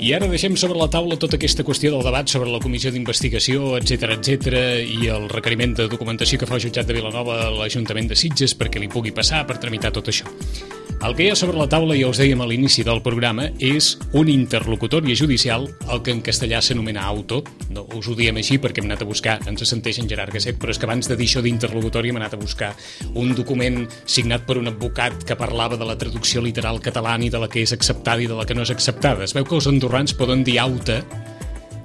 I ara deixem sobre la taula tota aquesta qüestió del debat sobre la comissió d'investigació, etc i el requeriment de documentació que fa el jutjat de Vilanova a l'Ajuntament de Sitges perquè li pugui passar per tramitar tot això. El que hi ha sobre la taula, ja us dèiem a l'inici del programa, és un interlocutòria judicial, el que en castellà s'anomena auto. No us ho diem així perquè hem anat a buscar, ens senteix en Gerard Gasset, però és que abans de dir això d'interlocutòria hem anat a buscar un document signat per un advocat que parlava de la traducció literal catalana i de la que és acceptada i de la que no és acceptada. Es veu que els andorrans poden dir auta,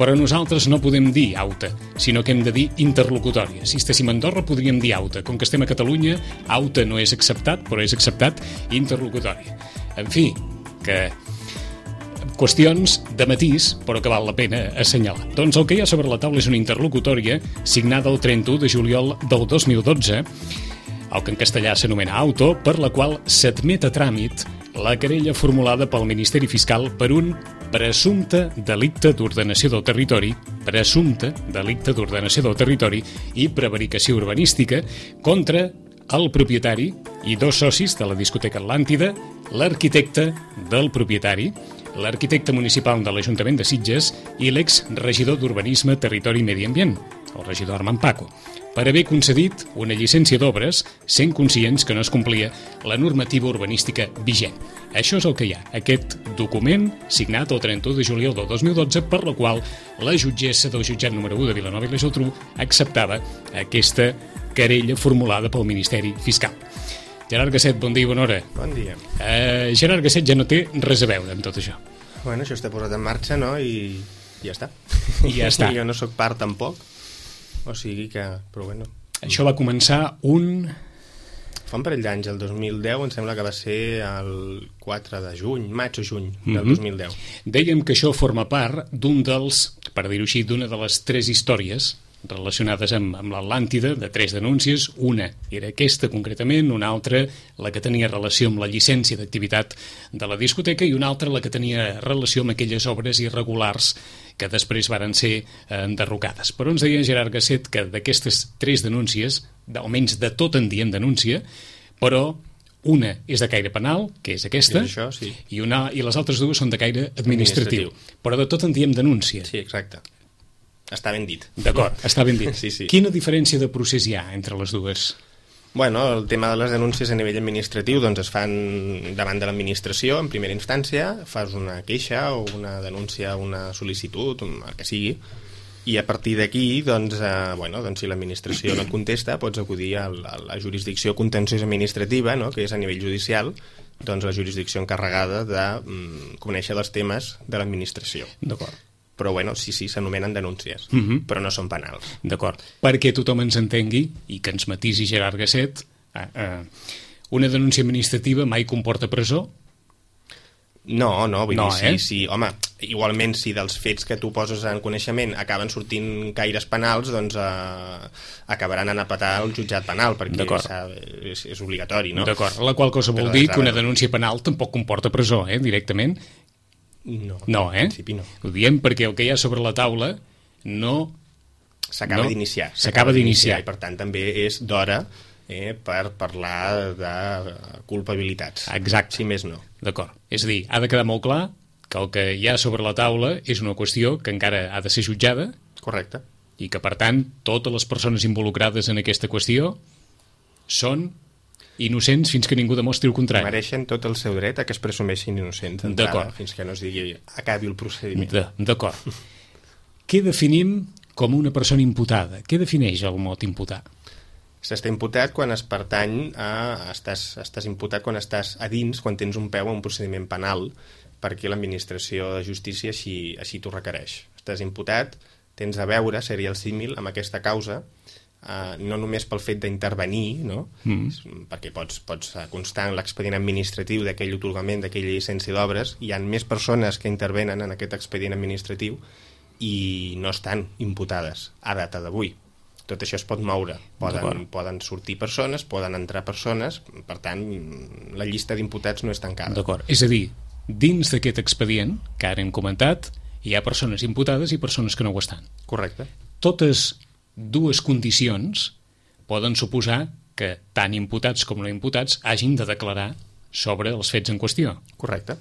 però nosaltres no podem dir auta, sinó que hem de dir interlocutòria. Si estéssim a Andorra podríem dir auta. Com que estem a Catalunya, auta no és acceptat, però és acceptat interlocutòria. En fi, que qüestions de matís, però que val la pena assenyalar. Doncs el que hi ha sobre la taula és una interlocutòria signada el 31 de juliol del 2012, el que en castellà s'anomena auto, per la qual s'admet a tràmit la querella formulada pel Ministeri Fiscal per un presumpte delicte d'ordenació del territori, i prevaricació urbanística contra el propietari i dos socis de la discoteca Atlàntida, l'arquitecte del propietari, l'arquitecte municipal de l'Ajuntament de Sitges i l'exregidor d'Urbanisme, Territori i Medi Ambient, el regidor Armand Paco, per haver concedit una llicència d'obres sent conscients que no es complia la normativa urbanística vigent. Això és el que hi ha, aquest document signat el 31 de juliol del 2012 per la qual la jutgessa del jutjat número 1 de Vilanova i la Geltrú acceptava aquesta querella formulada pel Ministeri Fiscal. Gerard Gasset, bon dia i bona hora. Bon dia. Gerard Gasset ja no té res a veure amb tot això. Bueno, això està posat en marxa, no? I ja està. I ja està. Jo no sóc part tampoc. O sigui que... Però bueno. Això va començar fa un parell d'anys, el 2010, em sembla que va ser el 4 de juny, maig o juny del 2010. Dèiem que això forma part d'un dels, per dir-ho així, d'una de les 3 històries relacionades amb l'Atlàntida, de 3 denúncies. Una era aquesta concretament, una altra la que tenia relació amb la llicència d'activitat de la discoteca i una altra la que tenia relació amb aquelles obres irregulars que després varen ser enderrocades. Però ens deia Gerard Gasset que d'aquestes 3 denúncies, almenys de tot en diem denúncia, però una és de caire penal, que és aquesta, això, sí. i les altres 2 són de caire administratiu. Però de tot en diem denúncia. Sí, exacte. Està ben dit. D'acord, està ben dit. Sí. Quina diferència de procés hi ha entre les dues? Bueno, el tema de les denúncies a nivell administratiu doncs es fan davant de l'administració en primera instància, fas una queixa o una denúncia, una sol·licitud, el que sigui, i a partir d'aquí, doncs, doncs, si l'administració no et contesta, pots acudir a la jurisdicció contenciosa administrativa, no?, que és a nivell judicial, doncs la jurisdicció encarregada de conèixer els temes de l'administració. D'acord. Però, bueno, sí, s'anomenen denúncies, però no són penals. D'acord. Perquè tothom ens entengui, i que ens matisi Gerard Gasset, una denúncia administrativa mai comporta presó? No, vull dir, sí, home, igualment si dels fets que tu poses en coneixement acaben sortint caires penals, doncs acabaran anant a petar el jutjat penal, perquè és obligatori, no? D'acord, la qual cosa vol dir que una denúncia penal tampoc comporta presó, directament? No, en principi no. Ho diem perquè el que hi ha sobre la taula s'acaba d'iniciar. I per tant també és d'hora per parlar de culpabilitats. Exacte. Si més no. D'acord. És a dir, ha de quedar molt clar que el que hi ha sobre la taula és una qüestió que encara ha de ser jutjada. Correcte. I que, per tant, totes les persones involucrades en aquesta qüestió són innocents fins que ningú demostri el contrari. Mereixen tot el seu dret a que es presumeixin innocents d'entrada, fins que no es digui acabi el procediment. D'acord. Què definim com una persona imputada? Què defineix el mot imputar? S'està imputat quan es pertany estàs imputat quan estàs a dins, quan tens un peu a un procediment penal, perquè l'administració de justícia així t'ho requereix. Estàs imputat, tens a veure, seria el símil, amb aquesta causa, no només pel fet d'intervenir, no? Perquè pots constar en l'expedient administratiu d'aquell atorgament, d'aquella llicència d'obres, hi ha més persones que intervenen en aquest expedient administratiu i no estan imputades a data d'avui. Tot això es pot moure, poden sortir persones, poden entrar persones, per tant la llista d'imputats no és tancada. D'acord, és a dir, dins d'aquest expedient que ara hem comentat hi ha persones imputades i persones que no ho estan. Correcte. Totes dues condicions poden suposar que tant imputats com no imputats hagin de declarar sobre els fets en qüestió. Correcte.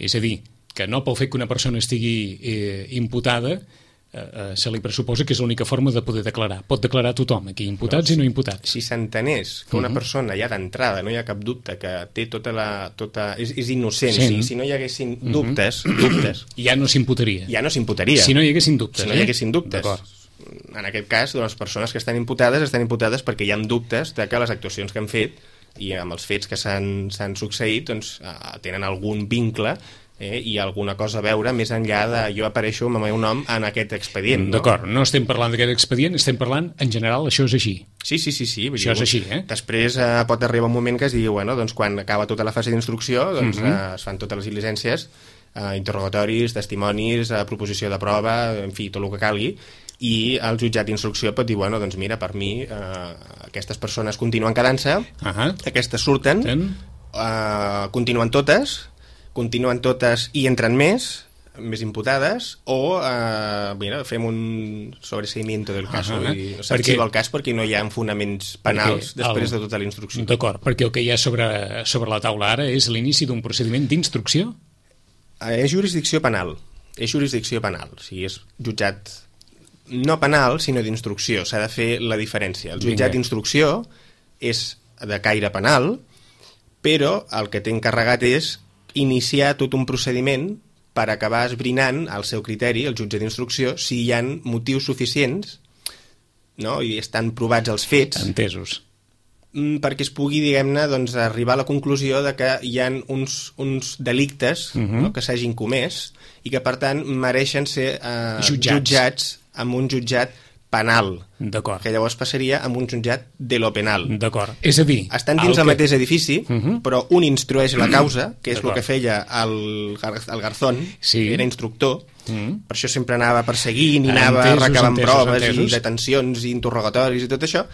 És a dir, que no pel fet que una persona estigui imputada se li pressuposa que és l'única forma de poder declarar. Pot declarar tothom, aquí imputats i no imputats. Si s'entenés que una persona ja d'entrada, no hi ha cap dubte, que té és innocent, si no hi haguessin dubtes... Ja no s'imputaria. Ja no s'imputaria. Si no hi haguessin dubtes. Si no hi haguessin dubtes. En aquest cas, les persones que estan imputades perquè hi ha dubtes de que les actuacions que han fet i amb els fets que s'han succeït doncs, tenen algun vincle i alguna cosa a veure més enllà de jo apareixo amb el meu nom en aquest expedient. D'acord, no estem parlant d'aquest expedient, estem parlant, en general, això és així. Sí. Això és així, Després pot arribar un moment que es digui, doncs, quan acaba tota la fase d'instrucció, doncs, es fan totes les diligències, interrogatoris, testimonis, proposició de prova, en fi, tot el que calgui, i el jutjat d'instrucció pot dir, doncs mira, per mi aquestes persones continuen quedant-se, aquestes surten, continuen totes i entren més imputades, o fem un sobreseimiento del cas, no s'arxiva el cas perquè no hi ha fonaments penals després de tota la instrucció. D'acord, perquè el que hi ha sobre la taula ara és l'inici d'un procediment d'instrucció? És jurisdicció penal, o sigui, és jutjat no penal, sinó d'instrucció, s'ha de fer la diferència. El jutjat d'instrucció és de caire penal, però el que té encarregat és iniciar tot un procediment per acabar esbrinant al seu criteri, el jutge d'instrucció, si hi ha motius suficients, no? I estan provats els fets. Entesos. Perquè es pugui, diguem-ne, doncs, arribar a la conclusió de que hi ha uns delictes que s'hagin comès i que, per tant, mereixen ser jutjats amb un jutjat penal. D'acord. Que llavors passaria amb un jutjat de lo penal. D'acord. És a dir... Estan dins el mateix edifici, però un instrueix la causa, que és el que feia el Garzón, que era instructor, per això sempre anava perseguint i anava recabant proves i detencions i interrogatoris i tot això,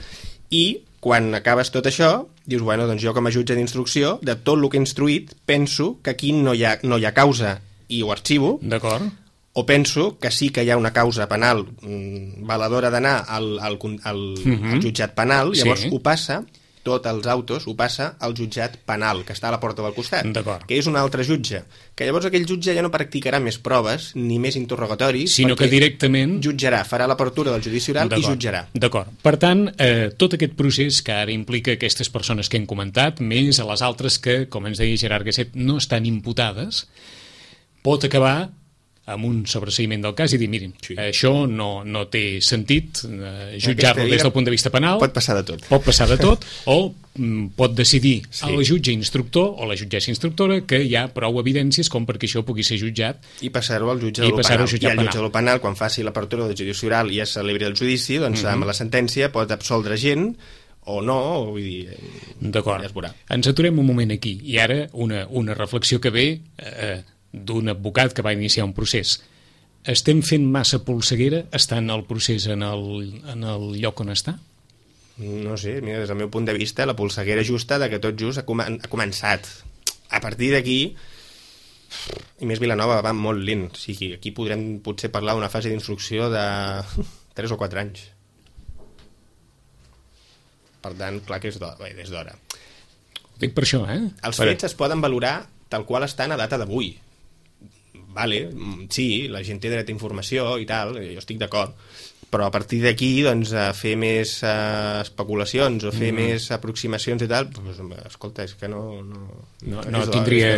i quan acabes tot això, dius, doncs jo com a jutge d'instrucció, de tot el que he instruït, penso que aquí no hi ha causa i ho arxivo. D'acord. O penso que sí que hi ha una causa penal valedora d'anar al jutjat penal, llavors ho passa, tots els autos ho passa al jutjat penal, que està a la porta del costat, que és un altre jutge, que llavors aquell jutge ja no practicarà més proves ni més interrogatoris, sinó que directament jutjarà, farà l'apertura del judici oral i jutjarà. D'acord. Per tant, tot aquest procés que ara implica aquestes persones que hem comentat, més a les altres que, com ens deia Gerard Gasset, no estan imputades, pot acabar amb un sobreseïment del cas i dir, mirin, això no té sentit jutjar-lo des del punt de vista penal. Pot passar de tot. Pot passar de tot, o pot decidir el jutge instructor o la jutgessa instructora que hi ha prou evidències com perquè això pugui ser jutjat i passar-ho al jutge de lo penal. I el jutge de lo penal, quan faci l'apertura del judici oral i es celebri el judici, doncs amb la sentència pot absoldre gent o no, vull dir, d'acord. Ja es veurà. Ens aturem un moment aquí, i ara una reflexió que ve d'un advocat que va iniciar un procés. Estem fent massa polseguera estant el procés en el lloc on està? No sé, mira, des del meu punt de vista, la polseguera justa de que tot just ha començat. A partir d'aquí, i més Vilanova va molt lent, o sigui, aquí podrem potser parlar d'una fase d'instrucció de 3 o 4 anys. Per tant, clar que és d'hora. Ho dic per això, Els fets es poden valorar tal qual estan a data d'avui. Vale, sí, la gent té dret a informació i tal, jo estic d'acord, però a partir d'aquí, doncs, fer més especulacions o fer més aproximacions i tal, doncs, escolta, és que no tindria...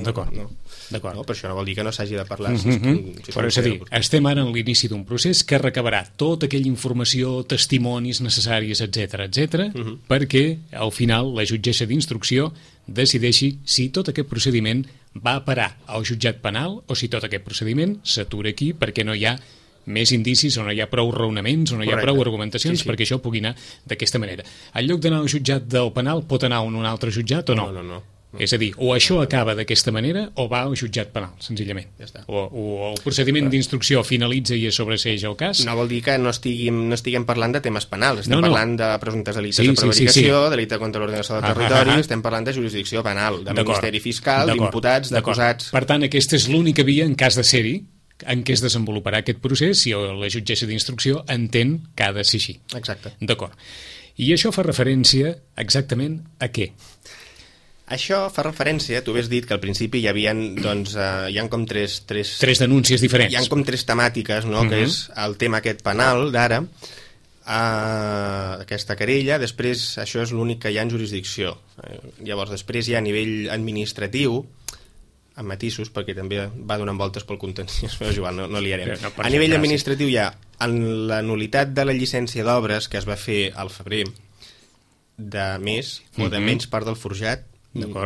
D'acord. No, per això no vol dir que no s'hagi de parlar. Però és a dir, estem ara en l'inici d'un procés que recabarà tota aquella informació, testimonis necessaris, etc, perquè al final la jutgessa d'instrucció decideixi si tot aquest procediment va a parar al jutjat penal o si tot aquest procediment s'atura aquí perquè no hi ha més indicis o no hi ha prou raonaments o no hi ha prou argumentacions perquè això pugui anar d'aquesta manera. En lloc d'anar al jutjat del penal pot anar a un altre jutjat o no? No. És a dir, o això acaba d'aquesta manera o va al jutjat penal, senzillament. Ja està. O el procediment d'instrucció finalitza i es sobreseeix el cas. No vol dir que no estiguem parlant de temes penals, estem parlant de presumptes delictes de prevaricació, delicte contra l'ordenació del territori, estem parlant de jurisdicció penal, de ministeri fiscal, d'imputats, d'acusats... Per tant, aquesta és l'única via, en cas de ser-hi, en què es desenvoluparà aquest procés si la jutgessa d'instrucció entén que ha de ser així. Exacte. D'acord. I això fa referència exactament a què? Això fa referència, tu has dit que al principi hi havia, doncs, hi ha com tres denúncies diferents. Hi ha com tres temàtiques, no? Que és el tema aquest penal d'ara, aquesta querella, després això és l'únic que hi ha en jurisdicció. Llavors després hi ha a nivell administratiu, amb matisos, perquè també va donant voltes pel contenciós, però igual no liarem. A nivell administratiu hi ha la nul·litat de la llicència d'obres que es va fer al febrer de més o de menys part del forjat,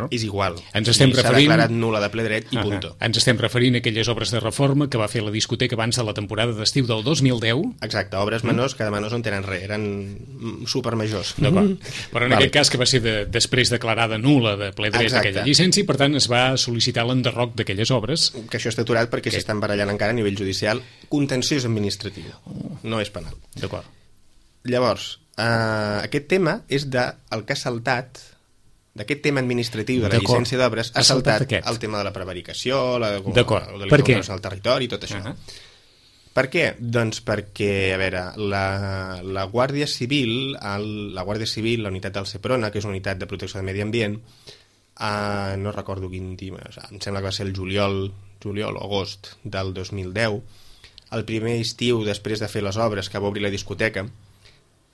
és igual. S'ha declarat nul·la de ple dret i punto. Ens estem referint a aquelles obres de reforma que va fer la discoteca abans de la temporada d'estiu del 2010. Exacte, obres menors que de menors no tenen res, eren supermajors. Però en aquest cas que va ser després declarada nul·la de ple dret aquella llicència, per tant es va sol·licitar l'enderroc d'aquelles obres. Que això està aturat perquè s'estan barallant encara a nivell judicial, contenciós administratiu, no és penal. D'acord. Llavors, aquest tema és del que ha saltat, d'aquest tema administratiu de la llicència d'obres, ha saltat el tema de la prevaricació, la delinqüència al territori i tot això. Per què? Doncs perquè, a veure, la Guàrdia Civil, la unitat del Seprona, que és una unitat de protecció del medi ambient, no recordo quin dia, em sembla que va ser el juliol o agost del 2010, el primer estiu després de fer les obres que va obrir la discoteca,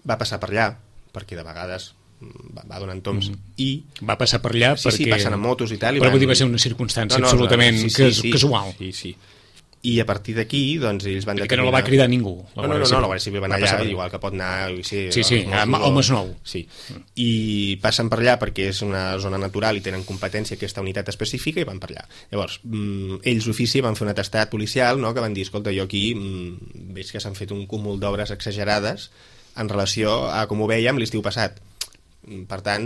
va passar per allà, perquè de vegades va donant toms i... Va passar per allà perquè... Sí, passen amb motos i tal. Però vull dir, va ser una circumstància absolutament casual. Sí. I a partir d'aquí, doncs, ells van determinar... Que no la va cridar ningú. No, la Guàrdia Civil va anar allà, igual que pot anar... Sí, al Masnou. Sí, i passen per allà perquè és una zona natural i tenen competència aquesta unitat específica i van per allà. Llavors, ells d'ofici van fer un atestat policial, no?, que van dir, escolta, jo aquí veig que s'han fet un cúmul d'obres exagerades en relació a com ho vèiem l'estiu passat. Per tant,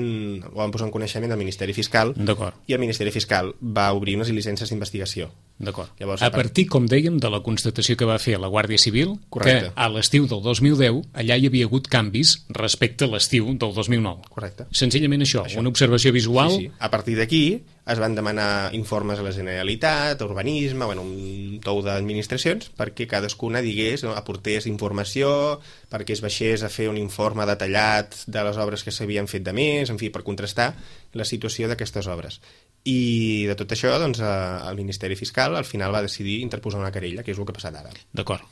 ho van posar en coneixement del Ministeri Fiscal i el Ministeri Fiscal va obrir unes llicències d'investigació. D'acord. A partir, com dèiem, de la constatació que va fer la Guàrdia Civil, que a l'estiu del 2010 allà hi havia hagut canvis respecte a l'estiu del 2009. Correcte. Senzillament això, una observació visual... Sí. A partir d'aquí es van demanar informes a la Generalitat, a Urbanisme, un tou d'administracions, perquè cadascuna digués, aportés informació, perquè es baixés a fer un informe detallat de les obres que s'havien fet de més, en fi, per contrastar la situació d'aquestes obres. I de tot això, doncs, el Ministeri Fiscal al final va decidir interposar una querella, que és el que ha passat ara. D'acord.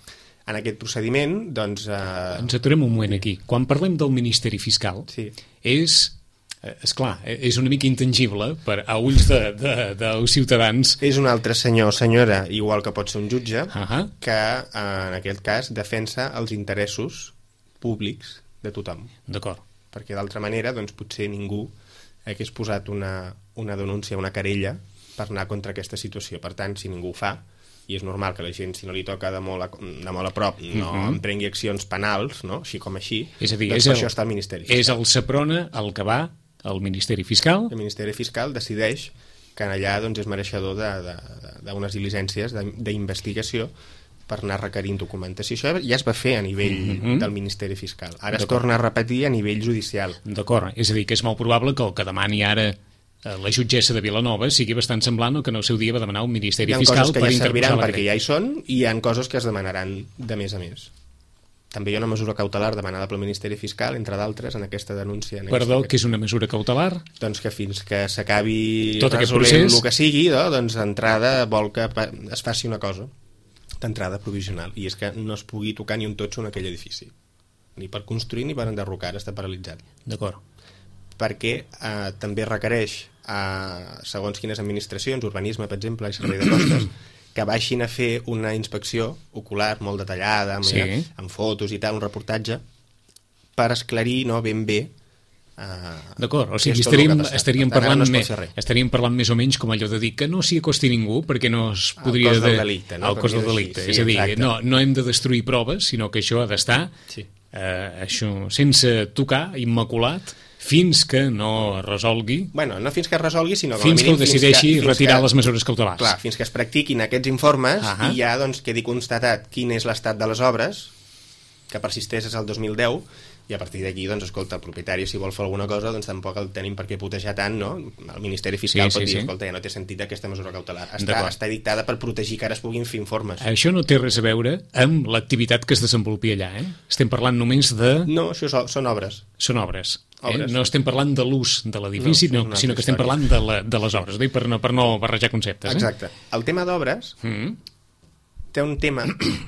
En aquest procediment, doncs... Ens aturem un moment aquí. Quan parlem del Ministeri Fiscal, és clar, és una mica intangible a ulls dels ciutadans. És un altre senyor o senyora, igual que pot ser un jutge, que en aquest cas defensa els interessos públics de tothom. D'acord. Perquè d'altra manera, doncs, potser ningú hagués posat una denúncia, una querella per anar contra aquesta situació. Per tant, si ningú ho fa, i és normal que la gent, si no li toca de molt a prop, no emprengui accions penals, no? Així com així, és a dir, doncs per això està el Ministeri Fiscal. És el Seprona el que va al Ministeri Fiscal? El Ministeri Fiscal decideix que allà doncs, és mereixedor d'unes diligències d'investigació per anar requerint documentació. Això ja es va fer a nivell del Ministeri Fiscal. Ara es torna a repetir a nivell judicial. D'acord, és a dir, que és molt probable que el que demani ara la jutgessa de Vilanova sigui bastant semblant al que en el seu dia va demanar el Ministeri Fiscal per interposar la querella. Hi ha coses que ja serviran perquè ja hi són i hi ha coses que es demanaran de més a més. També hi ha una mesura cautelar demanada pel Ministeri Fiscal, entre d'altres, en aquesta denúncia. Perdó, què és una mesura cautelar? Doncs que fins que s'acabi resolent el que sigui, doncs d'entrada vol que es faci una cosa d'entrada provisional, i és que no es pugui tocar ni un totxo en aquell edifici, ni per construir ni per enderrocar, està paralitzat. D'acord. Perquè també requereix, segons quines administracions, urbanisme, per exemple, i servei de costes, que baixin a fer una inspecció ocular molt detallada, amb fotos i tal, un reportatge, per esclarir ben bé. D'acord, o sigui, estaríem parlant més o menys com allò de dir que no s'hi acosti ningú perquè no es podria... El cos del delicte, no? El cos del delicte, és a dir, no hem de destruir proves, sinó que això ha d'estar sense tocar, immaculat, fins que no es resolgui... Bueno, no fins que es resolgui, sinó fins que ho decideixi retirar les mesures cautelars. Clar, fins que es practiquin aquests informes i ja doncs, quedi constatat quin és l'estat de les obres, que persisteix des del 2010, I a partir d'aquí, doncs, escolta, el propietari, si vol fer alguna cosa, doncs tampoc el tenim per què putejar tant, no? El Ministeri Fiscal pot dir, escolta, ja no té sentit aquesta mesura cautelar. Està dictada per protegir que ara es puguin fer informes. Això no té res a veure amb l'activitat que es desenvolupi allà, eh? Estem parlant només de... No, això són obres. Són obres. No estem parlant de l'ús de l'edifici, sinó que estem parlant de les obres, per no barrejar conceptes. Exacte. El tema d'obres té un tema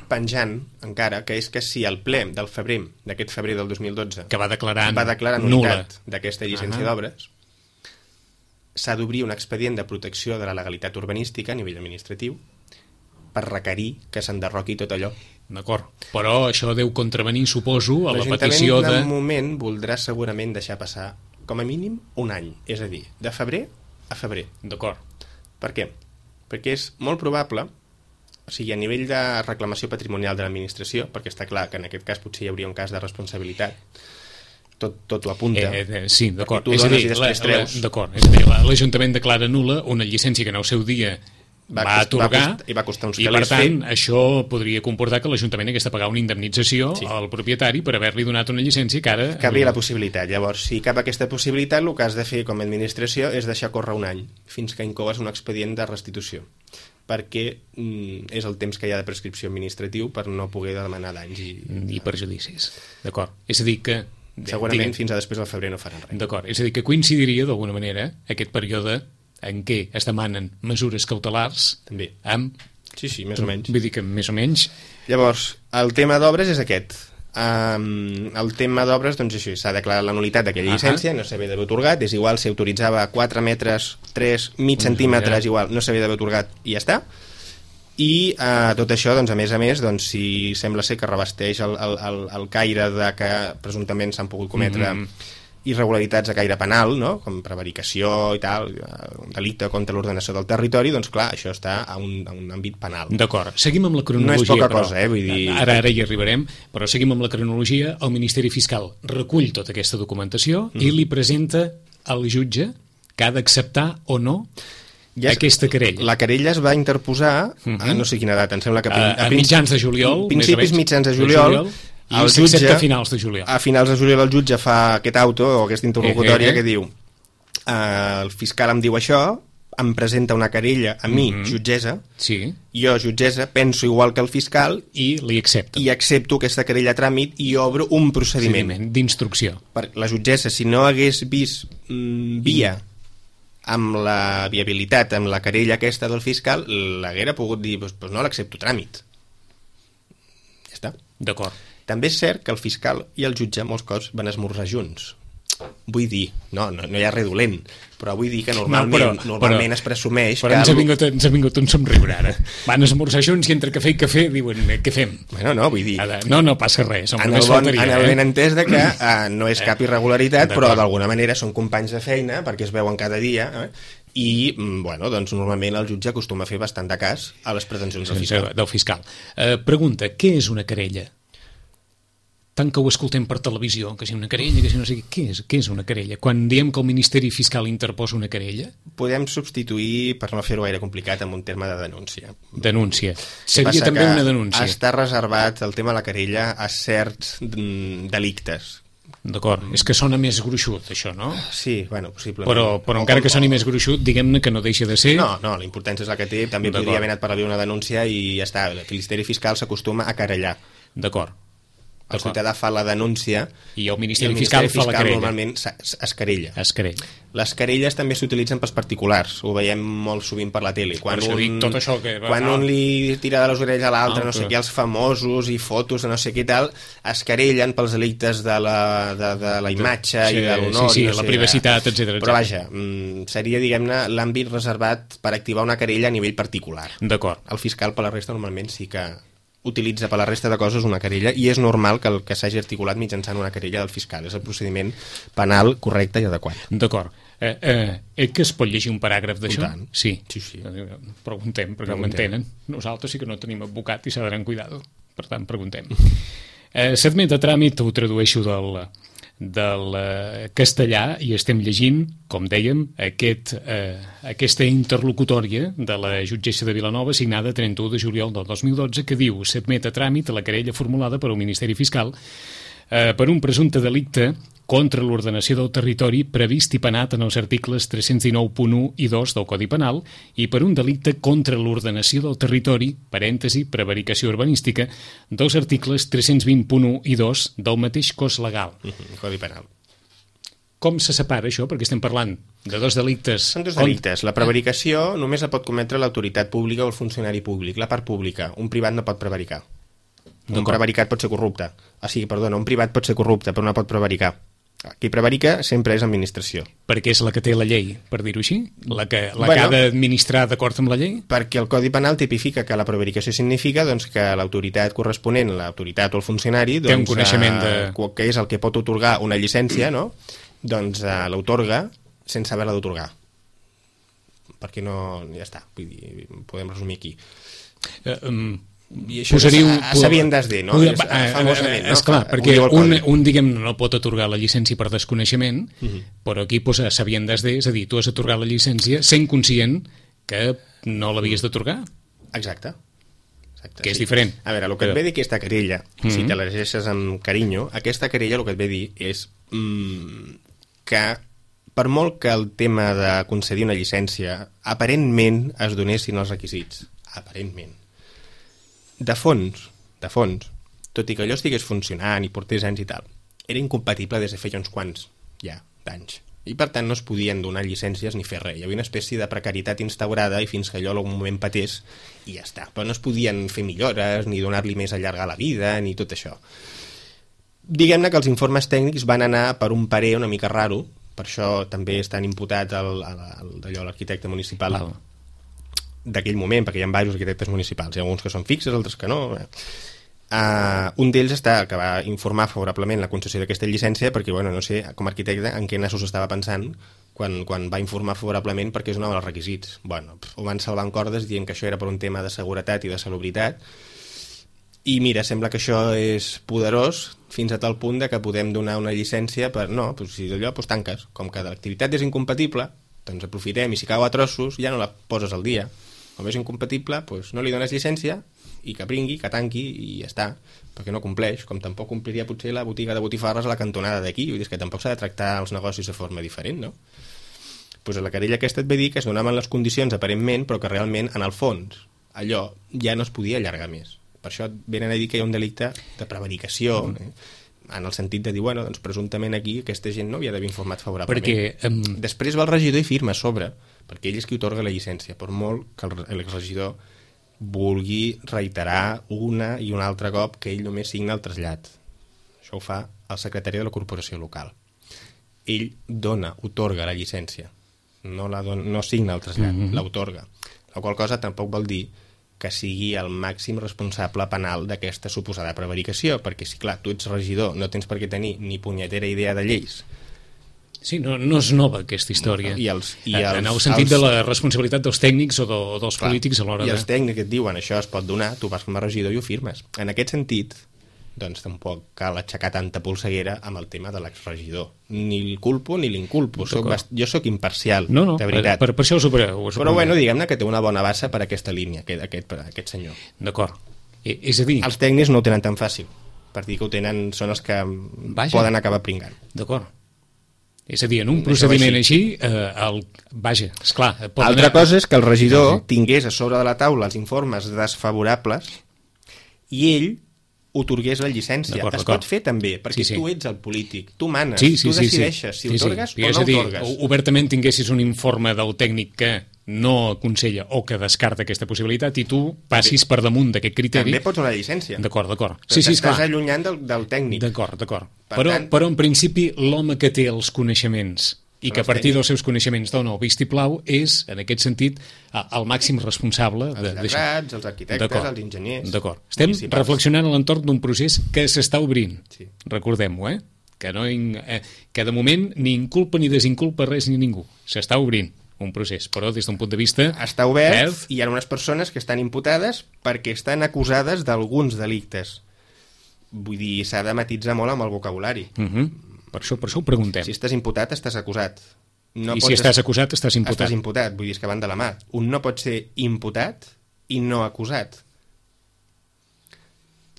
penjant encara, que és que si el ple d'aquest febrer del 2012 que va declarar nul·litat d'aquesta llicència d'obres, s'ha d'obrir un expedient de protecció de la legalitat urbanística a nivell administratiu per requerir que s'enderroqui tot allò. D'acord, però això deu contravenir, suposo, a la petició de... L'Ajuntament de moment voldrà segurament deixar passar com a mínim un any, és a dir, de febrer a febrer. D'acord. Per què? Perquè és molt probable, o sigui, a nivell de reclamació patrimonial de l'administració, perquè està clar que en aquest cas potser hi hauria un cas de responsabilitat, tot ho apunta. Sí, d'acord. Tu dones i després treus. D'acord, és a dir, l'Ajuntament declara nul·la una llicència que en el seu dia va atorgar, i va costar uns i per tant això podria comportar que l'Ajuntament hagués de pagar una indemnització al propietari per haver-li donat una llicència que ara... Cabria la possibilitat. Llavors, si cap aquesta possibilitat, el que has de fer com a administració és deixar córrer un any fins que incoes un expedient de restitució, perquè és el temps que hi ha de prescripció administratiu per no poder demanar danys i perjudicis. D'acord. És a dir que... Segurament fins a després del febrer no faran res. D'acord. És a dir que coincidiria d'alguna manera aquest període en què es demanen mesures cautelars també amb... Sí, més o menys. Vull dir que més o menys... Llavors, el tema d'obres és aquest. El tema d'obres, doncs això, s'ha declarat la nul·litat d'aquella llicència, no s'havia d'haver atorgat, és igual si autoritzava 4 metres, 3, mig centímetres, igual, no s'havia d'haver atorgat i ja està. I tot això, doncs, a més, doncs, si sembla ser que revesteix el caire de que presumptament s'han pogut cometre irregularitats a caire penal, no? Com prevaricació i tal, un delicte contra l'ordenació del territori, doncs clar, això està a un àmbit penal. D'acord, seguim amb la cronologia. No és poca cosa, vull dir... Ara hi arribarem, però seguim amb la cronologia. El Ministeri Fiscal recull tota aquesta documentació i li presenta al jutge que ha d'acceptar o no aquesta querella. La querella es va interposar a no sé quina data, em sembla que... A mitjans de juliol, principis mitjans de juliol, i s'accepta a finals de juliol. A finals de juliol el jutge fa aquest auto o aquesta interlocutòria que diu el fiscal em diu això, em presenta una querella a mi, jutgessa, jo, jutgessa, penso igual que el fiscal i li accepto. I accepto aquesta querella a tràmit i obro un procediment d'instrucció. La jutgessa, si no hagués vist via amb la viabilitat, amb la querella aquesta del fiscal, l'haguera pogut dir, doncs no l'accepto a tràmit. Ja està. D'acord. També és cert que el fiscal i el jutge molts cops van esmorzar junts. Vull dir, no hi ha res dolent, però vull dir que normalment es presumeix però que... Però ens ha vingut un somriure ara. Van esmorzar junts i entre cafè i cafè diuen, què fem? Bueno, no, vull dir... No passa res. En el ben entès de que no és cap irregularitat, però d'alguna manera són companys de feina, perquè es veuen cada dia, i, bueno, doncs normalment el jutge acostuma a fer bastant de cas a les pretensions del fiscal. Pregunta, què és una querella? Tant que ho escoltem per televisió, que si una querella, que si no sé què és una querella? Quan diem que el Ministeri Fiscal interposa una querella? Podem substituir, per no fer-ho gaire complicat, amb un terme de denúncia. Denúncia. Seria també una denúncia. Està reservat el tema de la querella a certs delictes. D'acord, és que sona més gruixut, això, no? Sí, bueno, possiblement. Però encara que soni més gruixut, diguem-ne que no deixa de ser... No, la importància és la que té, també podria haver anat per la via una denúncia i ja està, el Ministeri Fiscal s'acostuma a querellar. D'acord. El ciutadà fa la denúncia i el Ministeri Fiscal fa la querella. Normalment es querella. Les querelles també s'utilitzen pels particulars, ho veiem molt sovint per la tele. Quan un li tira de les orelles a l'altre, no sé què, els famosos i fotos de no sé què tal, es querellen pels delictes de la imatge i de l'honor. Sí, la privacitat, etc. Però vaja, seria, diguem-ne, l'àmbit reservat per activar una querella a nivell particular. D'acord. El fiscal per la resta normalment sí que utilitza per la resta de coses una querella i és normal que el que s'hagi articulat mitjançant una querella del fiscal. És el procediment penal correcte i adequat. D'acord. Que es pot llegir un paràgraf d'això? Sí. Preguntem, perquè no m'entenen. Nosaltres sí que no tenim advocat i s'ha d'anar amb cuidado. Per tant, preguntem. S'admet a tràmit, ho tradueixo del castellà i estem llegint, com dèiem, aquesta interlocutòria de la jutgessa de Vilanova signada 31 de juliol del 2012 que diu: s'admet a tràmit la querella formulada per al Ministeri Fiscal per un presumpte delicte contra l'ordenació del territori previst i penat en els articles 319.1 i 2 del Codi Penal i per un delicte contra l'ordenació del territori, parèntesi, prevaricació urbanística, dels articles 320.1 i 2 del mateix cos legal. Codi Penal. Com se separa això? Perquè estem parlant de dos delictes. Són dos delictes. La prevaricació només la pot cometre l'autoritat pública o el funcionari públic, la part pública. Un privat no pot prevaricar. Un prevaricat pot ser corrupte. Un privat pot ser corrupte, però no pot prevaricar. Qui prevarica sempre és administració. Perquè és la que té la llei, per dir-ho així? La que ha d'administrar d'acord amb la llei? Perquè el Codi Penal tipifica que la prevaricació significa doncs, que l'autoritat corresponent, l'autoritat o el funcionari, doncs, té un coneixement que és el que pot otorgar una llicència, no? Doncs l'autorga sense haver-la d'otorgar. Perquè no... ja està, vull dir, podem resumir aquí. I això sabiendas de, no? Famosament, no? Esclar, perquè un diguem, no pot atorgar la llicència per desconeixement, però aquí posa sabiendas de, és a dir, tu has atorgat la llicència sent conscient que no l'havies d'atorgar. Exacte. Que és diferent. A veure, el que et ve dir aquesta querella, si te la llegeixes amb carinyo, aquesta querella el que et ve dir és que per molt que el tema de concedir una llicència aparentment es donessin els requisits, aparentment, de fons, tot i que allò estigués funcionant i portés anys i tal, era incompatible des de feia uns quants d'anys. I per tant no es podien donar llicències ni fer res. Hi havia una espècie de precarietat instaurada i fins que allò en algun moment patés i ja està. Però no es podien fer millores ni donar-li més allargar la vida ni tot això. Diguem-ne que els informes tècnics van anar per un parer una mica raro, per això també estan imputats l'arquitecte municipal d'aquell moment, perquè hi ha diversos arquitectes municipals, hi ha alguns que són fixes, altres que no. Un d'ells que va informar favorablement la concessió d'aquesta llicència, perquè, no sé, com a arquitecte, en què nassos estava pensant quan va informar favorablement perquè és un dels requisits. Ho van salvar en cordes dient que això era per un tema de seguretat i de salubritat, i mira, sembla que això és poderós fins a tal punt que podem donar una llicència per... No, si d'allò tanques. Com que l'activitat és incompatible, doncs aprofitem, i si cau a trossos ja no la poses al dia. Com és incompatible, no li dones llicència i que pringui, que tanqui i ja està, perquè no compleix, com tampoc compliria potser la botiga de botifarres a la cantonada d'aquí. Vull dir que tampoc s'ha de tractar els negocis de forma diferent, no? A la querella aquesta et ve dir que es donaven les condicions aparentment, però que realment, en el fons, allò ja no es podia allargar més. Per això venen a dir que hi ha un delicte de prevaricació, en el sentit de dir, doncs presumptament aquí aquesta gent no havia d'haver informat favorablement. Després va el regidor i firma a sobre, perquè ell és qui otorga la llicència, per molt que l'exregidor vulgui reiterar una i un altre cop que ell només signa el trasllat. Això ho fa el secretari de la corporació local. Ell otorga la llicència, no signa el trasllat, l'otorga. La qual cosa tampoc vol dir que sigui el màxim responsable penal d'aquesta suposada prevaricació, perquè si, clar, tu ets regidor, no tens per què tenir ni punyetera idea de lleis. Sí, no és nova aquesta història. En el sentit de la responsabilitat dels tècnics o dels polítics a l'hora de... I els tècnics et diuen això es pot donar, tu vas com a regidor i ho firmes. En aquest sentit, doncs tampoc cal aixecar tanta polseguera amb el tema de l'exregidor. Ni el culpo ni l'inculpo. Jo sóc imparcial, de veritat. Per això ho supereu. Però diguem-ne que té una bona base per aquesta línia, aquest senyor. D'acord. És a dir... Els tècnics no ho tenen tan fàcil, per dir que ho tenen, són els que poden acabar pringant. D'acord. És a dir, en un procediment així, esclar... Altra cosa és que el regidor tingués a sobre de la taula els informes desfavorables i ell otorgués la llicència. Es pot fer també, perquè tu ets el polític, tu manes, tu decideixes si otorgues o no otorgues. Obertament tinguessis un informe del tècnic que no aconsella o que descarta aquesta possibilitat i tu passis per damunt d'aquest criteri... També pots donar llicència. D'acord. Estàs allunyant del tècnic. D'acord. Però en principi l'home que té els coneixements i que a partir dels seus coneixements dona el vistiplau és, en aquest sentit, el màxim responsable els lletrats, els arquitectes, els enginyers. D'acord. Estem reflexionant a l'entorn d'un procés que s'està obrint. Recordem-ho, que de moment ni inculpa ni desinculpa res ni ningú. S'està obrint un procés, però des d'un punt de vista... Està obert i hi ha unes persones que estan imputades perquè estan acusades d'alguns delictes. Vull dir, s'ha de matisar molt amb el vocabulari. Per això ho preguntem. Si estàs imputat, estàs acusat. Si estàs acusat, estàs imputat. Estàs imputat, vull dir, que van de la mà. Un no pot ser imputat i no acusat.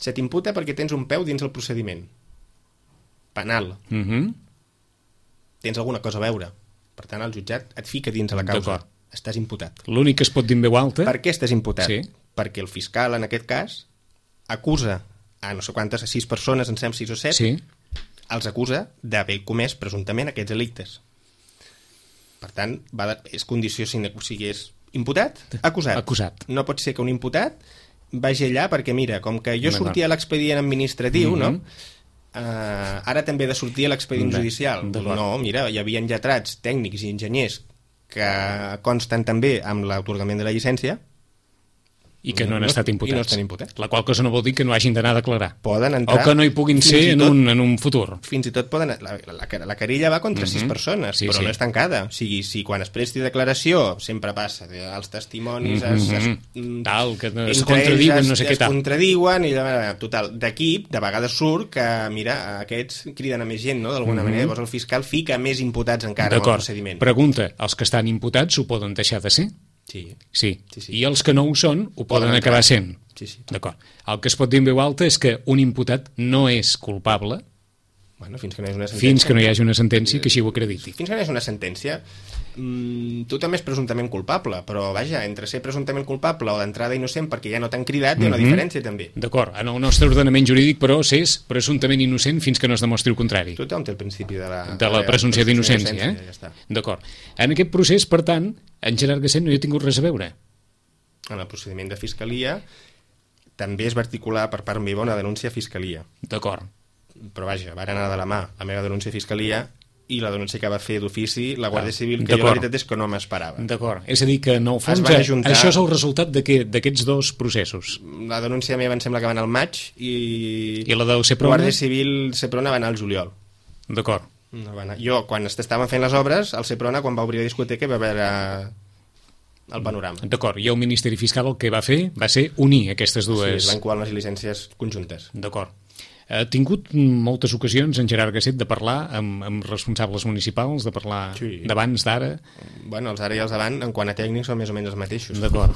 Se t'imputa perquè tens un peu dins el procediment. penal, tens alguna cosa a veure. Per tant, el jutjat et fica dins de la causa. Estàs imputat. L'únic que es pot dir en veu alta... Per què estàs imputat? Sí. Perquè el fiscal, en aquest cas, acusa a no sé quantes, a 6 persones, en sem 6 o 7, Sí. els acusa d'haver comès presumptament aquests delictes. Per tant, és condició sine qua non, o sigui, és imputat, acusat. No pot ser que un imputat vagi allà perquè, mira, com que jo sortia a l'expedient administratiu, no? Ara també he de sortir a l'expedient judicial. No, mira, hi havia lletrats, tècnics i enginyers que consten també amb l'atorgament de la llicència i que no han estat imputats. I no estan imputats. La qual cosa no vol dir que no hagin d'anar a declarar. Poden entrar... O que no hi puguin ser en un futur. Fins i tot poden... La querella va contra 6 persones, però no és tancada. O sigui, si quan es presti declaració sempre passa, els testimonis tal, que es contradiuen, no sé què tal. Es contradiuen i total, d'aquí, de vegades surt que, mira, aquests criden a més gent, no?, d'alguna manera. Llavors el fiscal fica més imputats encara en el procediment. Pregunta, els que estan imputats ho poden deixar de ser? Sí. I els que no ho són ho poden acabar sent. Sí. D'acord. El que es pot dir en veu alta és que un imputat no és culpable fins que no hi hagi una sentència. Fins que no hi hagi una sentència que així ho acrediti. Fins que no hi hagi una sentència, tu també és presumptament culpable, però vaja, entre ser presumptament culpable o d'entrada innocent perquè ja no t'han cridat hi ha una diferència també. D'acord, en el nostre ordenament jurídic però s'és presumptament innocent fins que no es demostri el contrari. Tothom té el principi de la presumpció d'innocència, ja D'acord. En aquest procés, per tant, en Gerard Gasset no hi ha tingut res a veure. En el procediment de fiscalia també es va articular per part meva una denúncia a fiscalia. D'acord. Però vaja, va anar de la mà la meva denúncia a fiscalia i la denúncia que va fer d'ofici la Guàrdia Civil, que jo la veritat és que no m'esperava. D'acord, és a dir que en el fons això és el resultat d'aquests dos processos. La denúncia meva em sembla que va anar al maig i la del Seprona? Guàrdia Civil Seprona va anar al juliol. D'acord. No va anar. Jo, quan estaven fent les obres, el Seprona, quan va obrir la discoteca, va veure el panorama. D'acord, i el Ministeri Fiscal el que va fer va ser unir aquestes dues... Sí, es van colar les llicències conjuntes. D'acord. Ha tingut moltes ocasions en Gerard Gasset de parlar amb responsables municipals, de parlar d'abans, d'ara? Bueno, els ara i els davant, en quant a tècnics, són més o menys els mateixos. D'acord.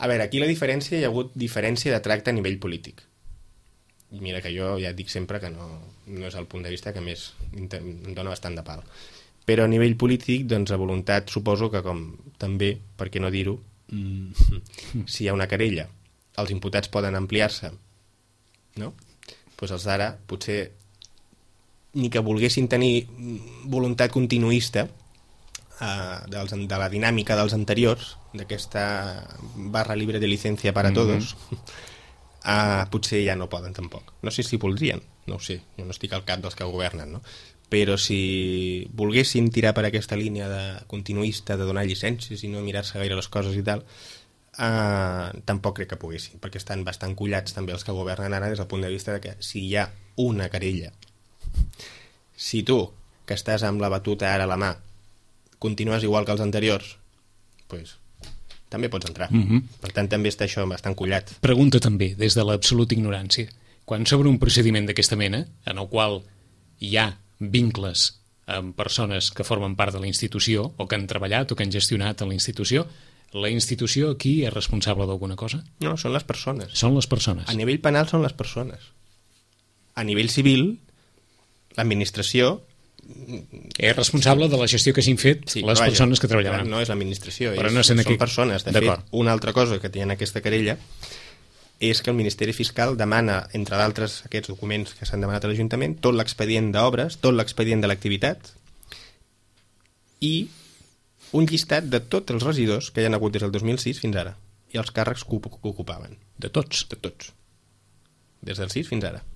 A veure, aquí la diferència, hi ha hagut diferència de tracte a nivell polític. I mira que jo ja dic sempre que no és el punt de vista que més em dona bastant de pal. Però a nivell polític, doncs, la voluntat, suposo que com també, per què no dir-ho, si hi ha una querella, els imputats poden ampliar-se, no? Doncs els d'ara potser ni que volguessin tenir voluntat continuista de la dinàmica dels anteriors, d'aquesta barra libre de licència per a tots, potser ja no poden tampoc. No sé si voldrien, no ho sé, jo no estic al cap dels que governen, no? Però si volguessin tirar per aquesta línia de continuista, de donar llicències i no mirar-se gaire les coses i tal, tampoc crec que poguessin, perquè estan bastant collats també els que governen ara des del punt de vista de que si hi ha una querella, si tu, que estàs amb la batuta ara a la mà, continues igual que els anteriors, doncs també pots entrar. Per tant, també està això bastant collat. Pregunta també, des de l'absoluta ignorància, quan s'obre un procediment d'aquesta mena, en el qual hi ha vincles amb persones que formen part de la institució, o que han treballat o que han gestionat a la institució aquí és responsable d'alguna cosa? No, són les persones. Són les persones. A nivell penal són les persones. A nivell civil, l'administració... És responsable de la gestió que s'han fet les persones que treballaven. No és l'administració, són persones. De fet, una altra cosa que té en aquesta querella és que el Ministeri Fiscal demana, entre d'altres aquests documents que s'han demanat a l'Ajuntament, tot l'expedient d'obres, tot l'expedient de l'activitat i un llistat de tots els regidors que hi ha hagut des del 2006 fins ara i els càrrecs que ocupaven. De tots? De tots. Des del 6 fins ara.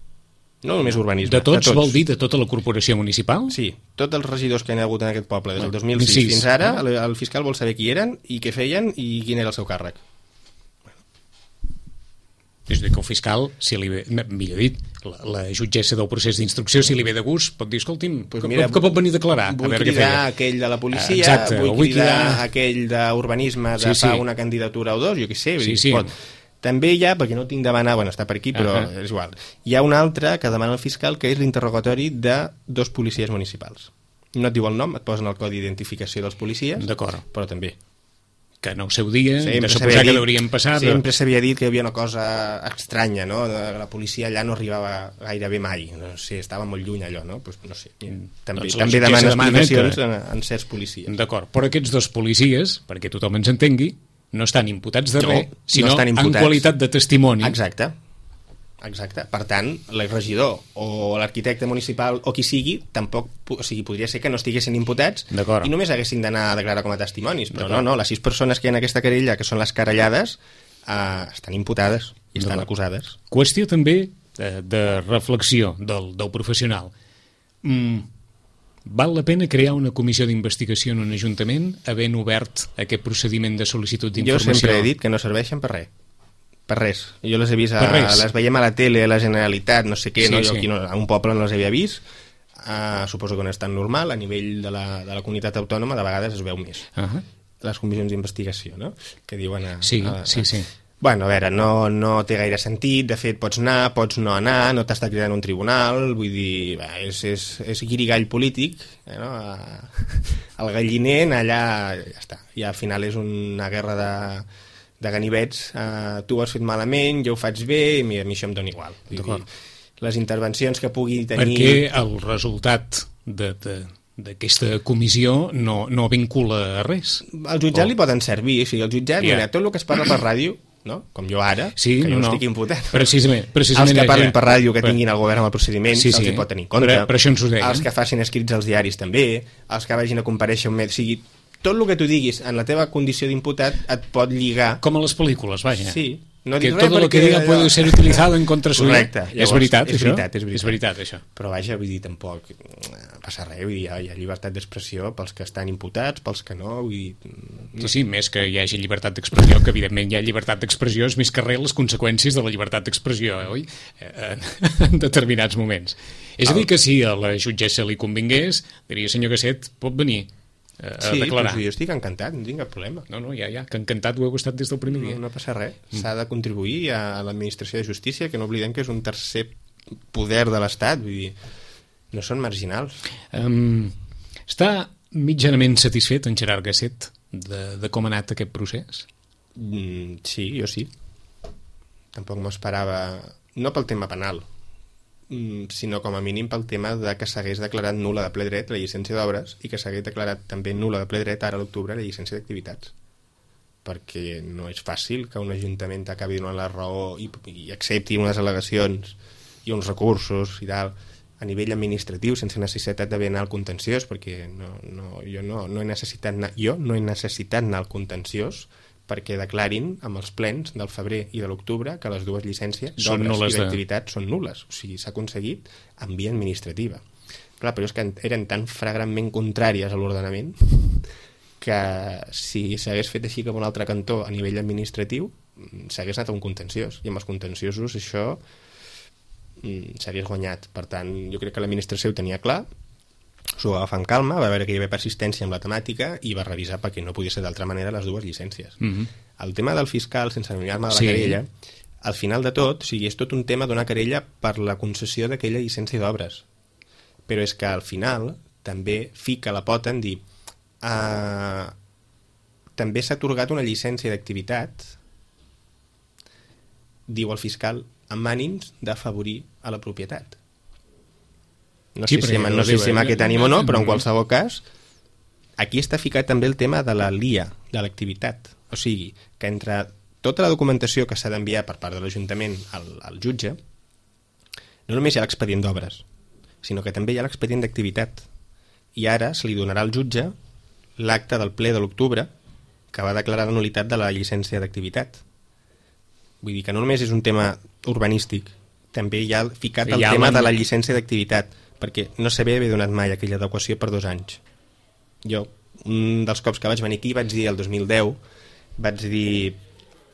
No només urbanisme. De tots vol dir de tota la corporació municipal? Sí, tots els regidors que hi ha hagut en aquest poble des del 2006 fins ara, el fiscal vol saber qui eren i què feien i quin era el seu càrrec. És a dir, que el fiscal, si li ve, millor dit, la jutgessa del procés d'instrucció, si li ve de gust, pot dir, escolti'm, que pot venir a declarar. Vull cridar aquell de la policia, vull cridar aquell d'urbanisme de fa una candidatura o dos, jo què sé. També hi ha, perquè no tinc de demanar, bueno, està per aquí, però és igual. Hi ha un altre que demana el fiscal, que és l'interrogatori de 2 policies municipals. No et diu el nom, et posen el codi d'identificació dels policies, però també que en el seu dia, sempre de suposar que deurien passar... Sempre s'havia dit que hi havia una cosa estranya, no? La policia allà no arribava gairebé mai. No sé, estava molt lluny allò, no? Pues, no sé. També demana explicacions en certs policies. D'acord, però aquests dos policies, perquè tothom ens entengui, no estan imputats de res, sinó en qualitat de testimoni. Exacte. Per tant, el regidor o l'arquitecte municipal o qui sigui, tampoc, o sigui, podria ser que no estiguessin imputats i només haguessin d'anar a declarar com a testimonis, però no, les 6 persones que hi ha en aquesta querella, que són les querellades, estan imputades i estan acusades. Qüestió també de reflexió del professional. Val la pena crear una comissió d'investigació en un ajuntament havent obert aquest procediment de sol·licitud d'informació? Jo sempre he dit que no serveixen per res. Per res. Jo les he vist, les veiem a la tele, a la Generalitat, no sé què, jo aquí a un poble no les havia vist, suposo que no és tan normal, a nivell de la comunitat autònoma de vegades es veu més. Les comissions d'investigació, no? Que diuen... Sí. Bueno, a veure, no té gaire sentit, de fet pots anar, pots no anar, no t'està cridant un tribunal, vull dir, és guirigall polític, no? El galliner allà, ja està, i al final és una guerra de ganivets, tu ho has fet malament, jo ho faig bé, i a mi això em dona igual. Les intervencions que pugui tenir... Perquè el resultat d'aquesta comissió no vincula a res. Al jutjat li poden servir, o sigui, el jutjat, mira, tot el que es parla per ràdio, no? Com jo ara, que jo no estic imputat. Precisament els que parlin per ràdio, que tinguin el govern amb el procediment, els hi pot tenir en compte. Per això ens ho deien. Els que facin escrits als diaris també, els que vagin a comparèixer un mes, o sigui, tot el que tu diguis en la teva condició d'imputat et pot lligar... Com a les pel·lícules, vaja. Sí. No que tot el que diga puede ser utilizado en contra suya. Correcte. És veritat, això? És veritat, això. Però vaja, vull dir, tampoc passa res, vull dir, hi ha llibertat d'expressió pels que estan imputats, pels que no, vull dir... Sí, més que hi hagi llibertat d'expressió, que evidentment hi ha llibertat d'expressió, és més que res les conseqüències de la llibertat d'expressió, oi? En determinats moments. És a dir, que si a la jutgessa li convingués, diria, senyor Gasset, pot venir a declarar. Sí, jo estic encantat, no tinc cap problema. No, ja, que encantat ho heu estat des del primer dia. No passa res, s'ha de contribuir a l'administració de justícia, que no oblidem que és un tercer poder de l'Estat, vull dir, no són marginals. Està mitjanament satisfet en Gerard Gasset de com ha anat aquest procés? Sí, jo sí. Tampoc m'ho esperava, no pel tema penal, sinó com a mínim pel tema de que s'hagués declarat nul·la de ple dret la llicència d'obres i que s'hagués declarat també nul·la de ple dret ara a l'octubre la llicència d'activitats, perquè no és fàcil que un ajuntament t'acabi donant la raó i accepti unes al·legacions i uns recursos i tal a nivell administratiu sense necessitat d'haver anar al contenciós, perquè jo no he necessitat anar al contenciós perquè declarin amb els plens del febrer i de l'octubre que les dues llicències d'obres i d'activitat són nul·les. O sigui, s'ha aconseguit en via administrativa. Clar, però és que eren tan flagrantment contràries a l'ordenament que si s'hagués fet així com un altre cantó a nivell administratiu s'hagués anat a un contenciós, i amb els contenciosos això s'hagués guanyat. Per tant, jo crec que l'administració ho tenia clar, s'ho va agafar amb calma, va veure que hi havia persistència amb la temàtica i va revisar perquè no podia ser d'altra manera les dues llicències. El tema del fiscal, sense allunyar-me de la querella, al final de tot, o sigui, és tot un tema d'una querella per la concessió d'aquella llicència d'obres. Però és que al final també fica la pota en dir també s'ha atorgat una llicència d'activitat, diu el fiscal, amb ànims d'afavorir a la propietat. No sé si amb aquest ànim o no, però en qualsevol cas aquí està ficat també el tema de la LIA, de l'activitat. O sigui, que entre tota la documentació que s'ha d'enviar per part de l'Ajuntament al jutge, no només hi ha l'expedient d'obres, sinó que també hi ha l'expedient d'activitat. I ara se li donarà al jutge l'acte del ple de l'octubre que va declarar la nul·litat de la llicència d'activitat. Vull dir que no només és un tema urbanístic, també hi ha ficat el tema de la llicència d'activitat, perquè no sabia haver donat mai aquella adequació per 2 anys. Jo, un dels cops que vaig venir aquí, vaig dir el 2010, vaig dir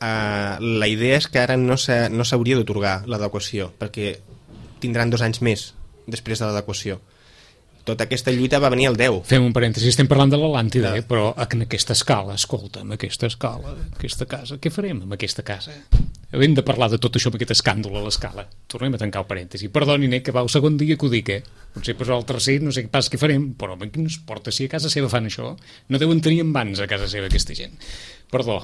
la idea és que ara no s'hauria d'atorgar l'adequació, perquè tindran 2 anys més després de l'adequació. Tota aquesta lluita va venir al 10. Fem un parèntesi, estem parlant de l'Atlàntida, però en aquesta escala, escolta, amb aquesta escala, aquesta casa, què farem amb aquesta casa? Hem de parlar de tot això amb aquest escàndol a l'escala. Tornem a tancar el parèntesi. Perdoni, que va el segon dia que ho dic, Potser per el tercer no sé pas què farem, però què ens porta si a casa seva fan això? No deuen tenir envans a casa seva aquesta gent. Perdó.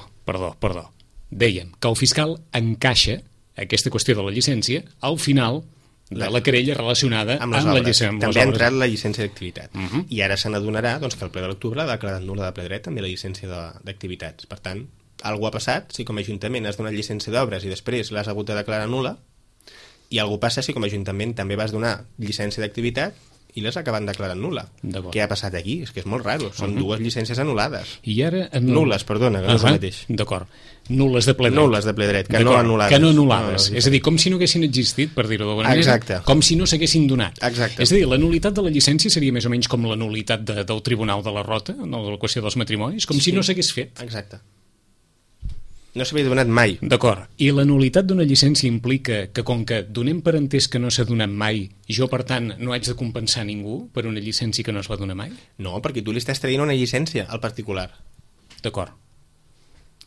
Dèiem que el fiscal encaixa aquesta qüestió de la llicència al final de la querella relacionada amb la llicència. També ha entrat la llicència d'activitat. I ara se n'adonarà que el ple de l'octubre ha declarat nul·la de ple dret també la llicència d'activitats. Per tant, alguna ha passat si com a Ajuntament has donat llicència d'obres i després l'has hagut de declarar nul·la, i alguna passa si com a Ajuntament també vas donar llicència d'activitat i l'has acabat declarant nul·la. Què ha passat aquí? És que és molt raro. Són dues llicències anul·lades. I ara... Nul·les, perdona, que no és el mateix. D'acord. Nul·les de ple dret. Nul·les de ple dret, que no anul·lades. Que no anul·lades. És a dir, com si no haguessin existit, per dir-ho d'alguna manera. Exacte. Com si no s'haguessin donat. Exacte. És a dir, la nul·litat de la llicència seria més o menys com la nul·litat del Tribunal de la Rota, no, de la qüestió dels matrimonis, com si no s'hagués fet. Exacte. No s'havia donat mai. D'acord. I la nul·litat d'una llicència implica que, com que donem per entès que no s'ha donat mai, jo, per tant, no haig de compensar ningú per una llicència que no es va donar mai? No, perquè tu li estàs traient una llicència al particular. D'acord.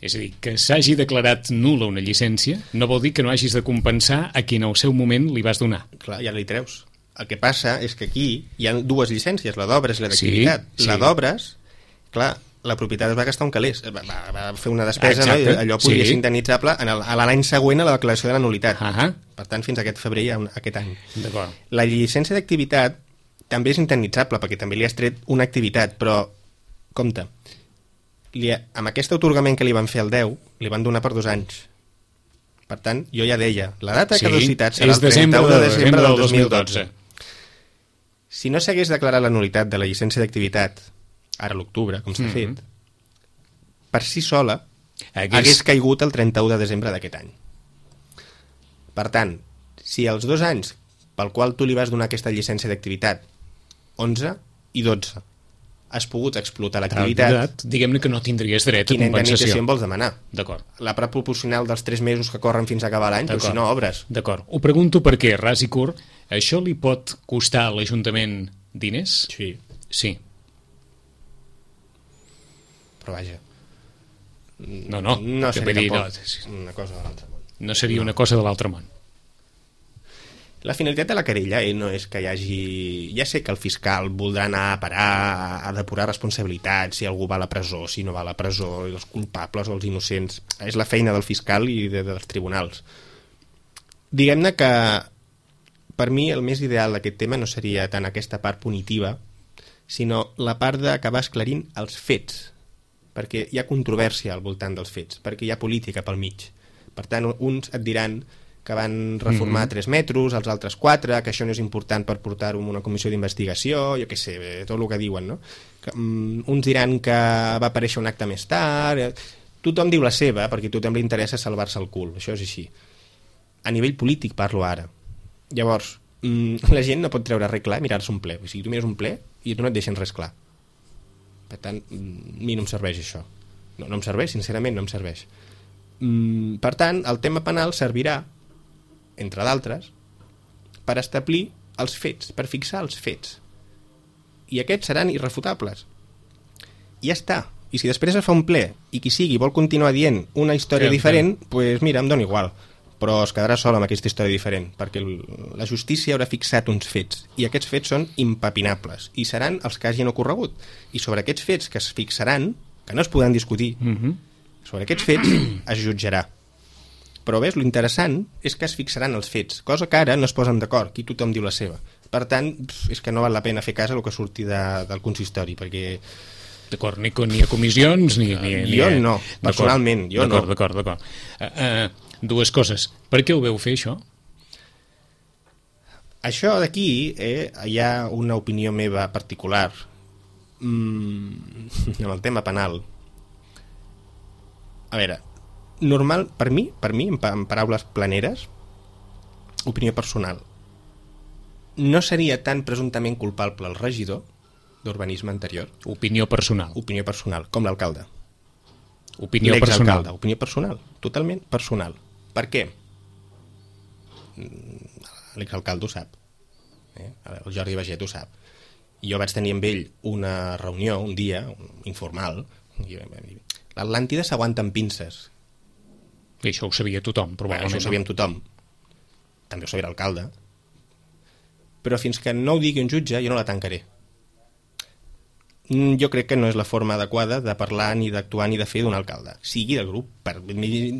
És a dir, que s'hagi declarat nul·la una llicència no vol dir que no hagis de compensar a qui en el seu moment li vas donar. Clar, ja li treus. El que passa és que aquí hi ha dues llicències, la d'obres i la d'activitat. Sí. La d'obres, clar, la propietat es va gastar un calés, va fer una despesa, no? I allò podia ser indemnitzable a l'any següent a la declaració de la nul·litat. Per tant, fins a aquest febrer, aquest any. La llicència d'activitat també és indemnitzable, perquè també li has tret una activitat, però, compte, amb aquest atorgament que li van fer al 10, li van donar per 2 anys. Per tant, jo ja deia, la data de caducitat serà el 31 de desembre del 2012. Si no s'hagués declarat la nul·litat de la llicència d'activitat ara a l'octubre, com s'ha fet, per si sola hagués caigut el 31 de desembre d'aquest any. Per tant, si els 2 anys pel qual tu li vas donar aquesta llicència d'activitat, 11 i 12, has pogut explotar l'activitat, diguem-ne que no tindries dret a compensació. Quina indemnització em vols demanar? D'acord. La part proporcional dels 3 mesos que corren fins a acabar l'any, però si no obres. D'acord. Ho pregunto perquè, ras i curt, això li pot costar a l'Ajuntament diners? Sí. Sí. Però vaja, no seria una cosa de l'altre món. No seria una cosa de l'altre món. La finalitat de la querella no és que hi hagi... Ja sé que el fiscal voldrà anar a parar, a depurar responsabilitats, si algú va a la presó, si no va a la presó, els culpables o els innocents. És la feina del fiscal i dels tribunals. Diguem-ne que per mi el més ideal d'aquest tema no seria tant aquesta part punitiva, sinó la part d'acabar esclarint els fets, perquè hi ha controvèrsia al voltant dels fets, perquè hi ha política pel mig. Per tant, uns et diran que van reformar 3 metros, els altres 4, que això no és important per portar-ho a una comissió d'investigació, jo què sé, tot el que diuen, no? Uns diran que va aparèixer un acte més tard... Tothom diu la seva, perquè a tothom li interessa salvar-se el cul, això és així. A nivell polític parlo ara. Llavors, la gent no pot treure res clar i mirar-se un ple. O sigui, tu mires un ple i tu no et deixen res clar. Per tant, a mi no em serveix això. No em serveix, sincerament, no em serveix. Per tant, el tema penal servirà, entre d'altres, per establir els fets, per fixar els fets. I aquests seran irrefutables. I ja està. I si després es fa un ple i qui sigui vol continuar dient una història diferent, doncs mira, em dona igual. Però es quedarà sol amb aquesta història diferent, perquè la justícia haurà fixat uns fets, i aquests fets són impepinables, i seran els que hagin ocorregut. I sobre aquests fets que es fixaran, que no es podran discutir, sobre aquests fets es jutjarà. Però ves, lo interessant és que es fixaran els fets, cosa que ara no es posen d'acord, aquí tothom diu la seva. Per tant, és que no val la pena fer cas a el que surti del consistori, perquè... D'acord, ni a comissions, ni jo no, personalment, jo no. D'acord. Dues coses. Per què ho veu fer, això? Això d'aquí hi ha una opinió meva particular amb el tema penal. A veure, normal, per mi, en paraules planeres, opinió personal, no seria tan presumptament culpable el regidor d'urbanisme anterior. Opinió personal. Opinió personal, com l'alcalde. Opinió personal. Opinió personal, totalment personal. Per què? L'exalcalde ho sap. El Jordi Baget ho sap. Jo vaig tenir amb ell una reunió, un dia, informal, i l'Atlàntida s'aguanta amb pinces. I això ho sabia tothom, probablement. Això ho sabíem tothom. També ho sabia l'alcalde. Però fins que no ho digui un jutge, jo no la tancaré. Jo crec que no és la forma adequada de parlar ni d'actuar ni de fer d'un alcalde. Sigui del grup,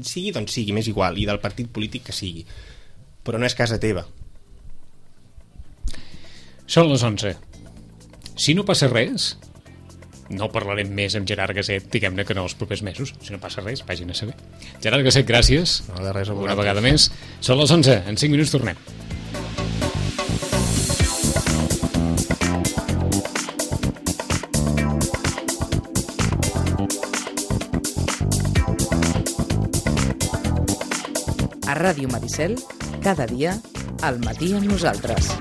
sigui d'on sigui, m'és igual, i del partit polític que sigui. Però no és casa teva. Són les 11. Si no passa res, no parlarem més amb Gerard Gaset, diguem-ne que no els propers mesos. Si no passa res, vagin a saber. Gerard Gaset, gràcies. No, de res a una vegada més. Són les 11. En 5 minuts tornem. A Ràdio Maricel, cada dia, al matí amb nosaltres.